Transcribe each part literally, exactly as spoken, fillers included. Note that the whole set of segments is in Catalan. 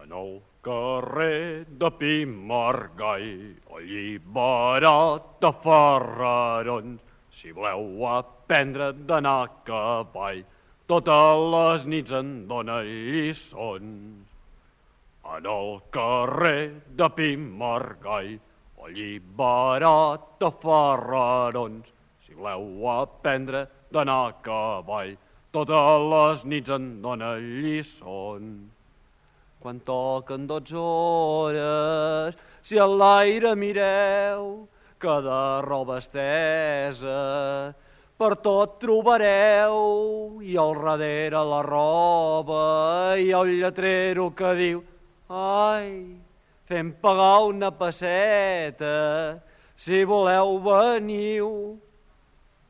En el carrer de Pimargai, alliberat de Ferrarons, si voleu aprendre d'anar a cavall, totes les nits en dona lliçons. En el carrer de Pimargai, alliberat de Ferrarons, si voleu aprendre d'anar a cavall, totes les nits en dona lliçons. Quan toquen dotze hores, si a l'aire mireu, que de roba estesa per tot trobareu, i al darrere la roba i el lletrero que diu ai, fem pagar una pesseta, si voleu veniu.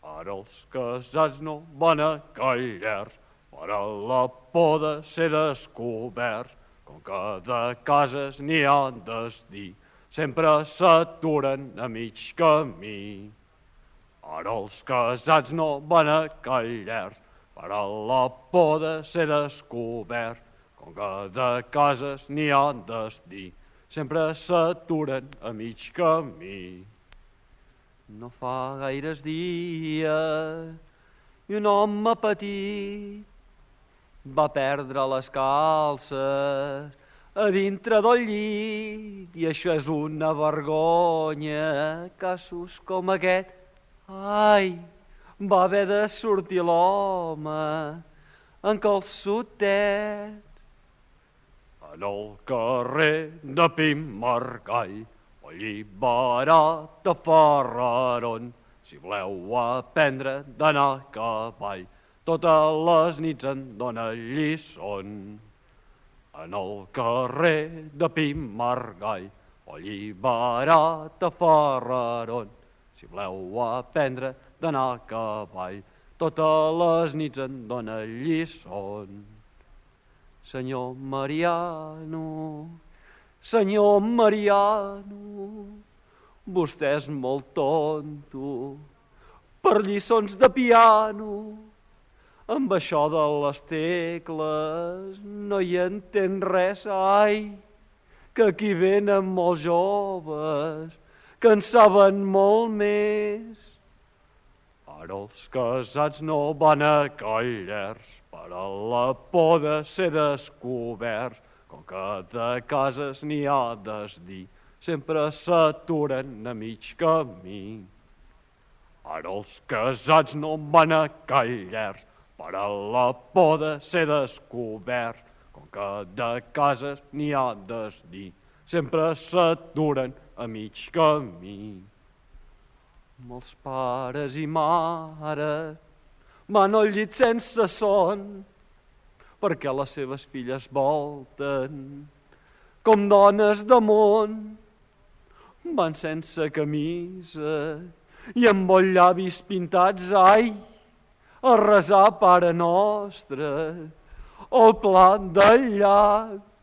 Ara els casats no van a callers per a la por de ser descoberts, com que de cases n'hi ha destí, sempre s'aturen a mig camí. Ara els casats no van a callers per a la por de ser descoberts, com que de cases n'hi ha destí, sempre s'aturen a mig camí. No fa gaires dies i un home petit va perdre les calces a dintre del llit, i això és una vergonya, casos com aquest. Ai, va haver de sortir l'home en calçotets. En el carrer de Pimargai, alliberat de Ferrarons, si voleu aprendre d'anar a cavall, totes les nits en dona lliçons. En el carrer de Pimargai, alliberat de Ferrarons, si voleu aprendre d'anar a cavall, totes les nits en dona lliçons. Senyor Mariano, senyor Mariano, vostè és molt tonto per lliçons de piano. Amb això de les tecles no hi entén res, ai, que aquí venen molts joves que en saben molt més. Ara els casats no van a callers per a la por de ser descoberts, com que de cases n'hi ha desdir, sempre s'aturen a mig camí. Ara els casats no van a callers per a la por de ser descoberts, com que de cases n'hi ha desdir, sempre s'aturen a mig camí. Molts pares i mares van al llit sense son, perquè les seves filles volten com dones de món. Van sense camisa i amb els llavis pintats, ai, a resar Pare Nostre, el plat del llac